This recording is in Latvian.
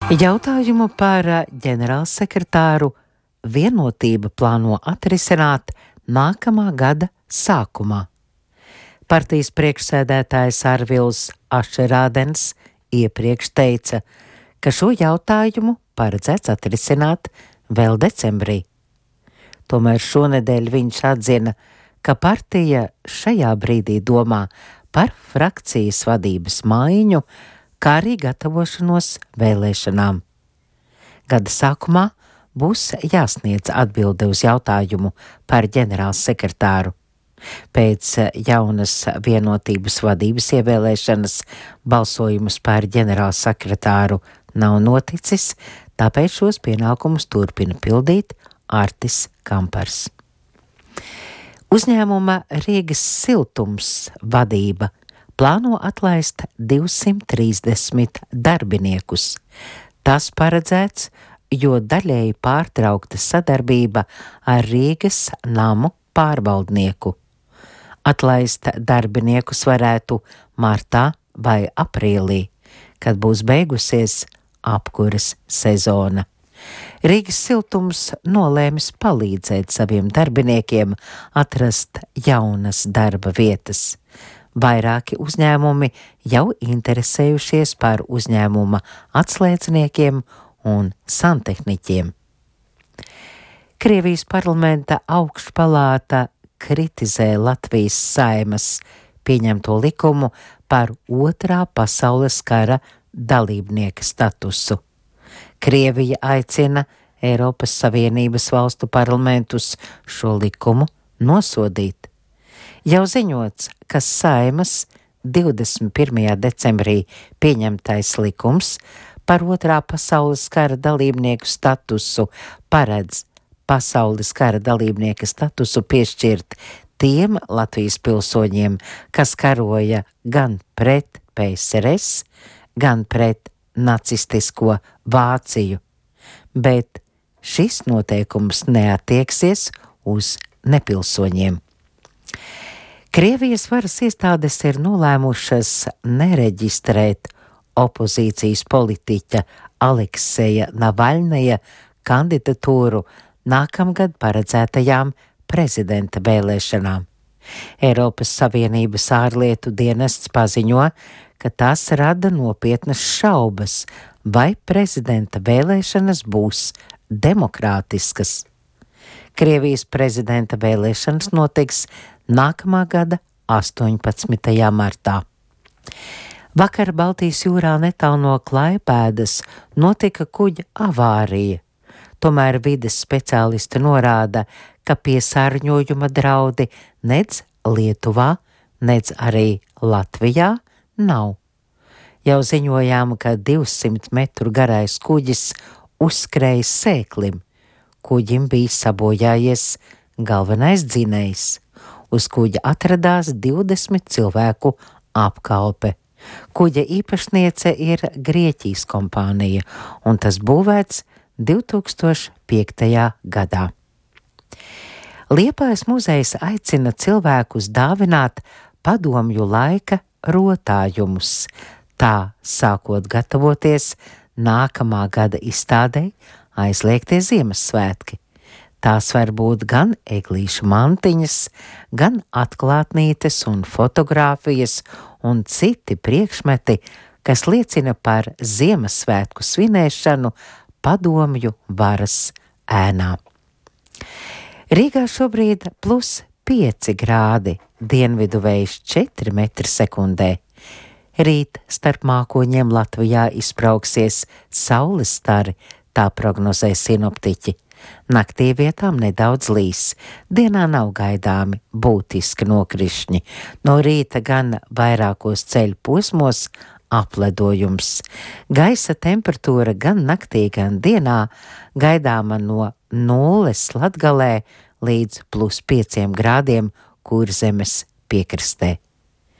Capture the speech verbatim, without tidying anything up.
Jautājumu par ģenerālsekretāru Vienotība plāno atrisināt nākamā gada sākumā. Partijas priekšsēdētājs Arvils Ašerādens iepriekš teica, ka šo jautājumu paredzēts atrisināt vēl decembrī. Tomēr šonedēļ viņš atzina, ka partija šajā brīdī domā par frakcijas vadības maiņu, kā arī gatavošanos vēlēšanām. Gada sākumā būs jāsniedz atbilde uz jautājumu par ģenerālsekretāru. Pēc jaunas Vienotības vadības ievēlēšanas balsojumus par ģenerālsekretāru nav noticis, tāpēc šos pienākumus turpina pildīt Artis Kampars. Uzņēmuma Rīgas siltums vadība plāno atlaist divsimt trīsdesmit darbiniekus. Tas paredzēts, jo daļēji pārtraukta sadarbība ar Rīgas namu pārvaldnieku. Atlaist darbiniekus varētu martā vai aprīlī, kad būs beigusies apkuras sezona. Rīgas siltums nolēmis palīdzēt saviem darbiniekiem atrast jaunas darba vietas. Vairāki uzņēmumi jau interesējušies par uzņēmuma atslēdzniekiem un santehniķiem. Krievijas parlamenta augšpalāta kritizē Latvijas Saeimas pieņemto likumu par otrā pasaules kara dalībnieka statusu. Krievija aicina Eiropas Savienības valstu parlamentus šo likumu nosodīt. Jau ziņots, ka Saeimas divdesmit pirmajā decembrī pieņemtais likums par otrā pasaules kara dalībnieku statusu paredz pasaules kara dalībnieka statusu piešķirt tiem Latvijas pilsoņiem, kas karoja gan pret P S R S, gan pret nacistisko Vāciju, bet šis noteikums neattieksies uz nepilsoņiem. Krievijas varas iestādes ir nolēmušas nereģistrēt opozīcijas politiķa Alekseja Navaļnaja kandidatūru nākamgad paredzētajām prezidenta vēlēšanām. Eiropas Savienības ārlietu dienests paziņo, ka tas rada nopietnas šaubas, vai prezidenta vēlēšanas būs demokrātiskas. Krievijas prezidenta vēlēšanas notiks nākamā gada astoņpadsmitajā martā. Vakar Baltijas jūrā netālu no Klaipēdas notika kuģa avārija. Tomēr vides speciālisti norāda, ka piesārņojuma draudi nedz Lietuvā, nedz arī Latvijā nav. Jau ziņojām, ka divsimt metru garais kuģis uzskrēja sēklim. Kuģim bija sabojājies galvenais dzinējs. Uz kuģa atradās divdesmit cilvēku apkalpe. Kuģa īpašniece ir Grieķijas kompānija, un tas būvēts divi tūkstoši piektajā gadā. Liepājas muzejs aicina cilvēkus dāvināt padomju laika rotājumus, tā sākot gatavoties nākamā gada izstādei Aizliegtie Ziemassvētki. Tās var būt gan eglīšu mantiņas, gan atklātnītes un fotogrāfijas un citi priekšmeti, kas liecina par Ziemassvētku svinēšanu padomju varas ēnā. Rīgā šobrīd plus pieci grādi, dienvidu vējš četri metri sekundē. Rīt starp mākoņiem Latvijā izbrauksies saules stari, tā prognozē sinoptiķi. Naktī vietām nedaudz līs, dienā nav gaidāmi būtiski nokrišņi. No rīta gan vairākos ceļu posmos apledojums. Gaisa temperatūra gan naktī, gan dienā gaidāma no nulles Latgalē līdz plus pieciem grādiem Kurzemes piekrastē.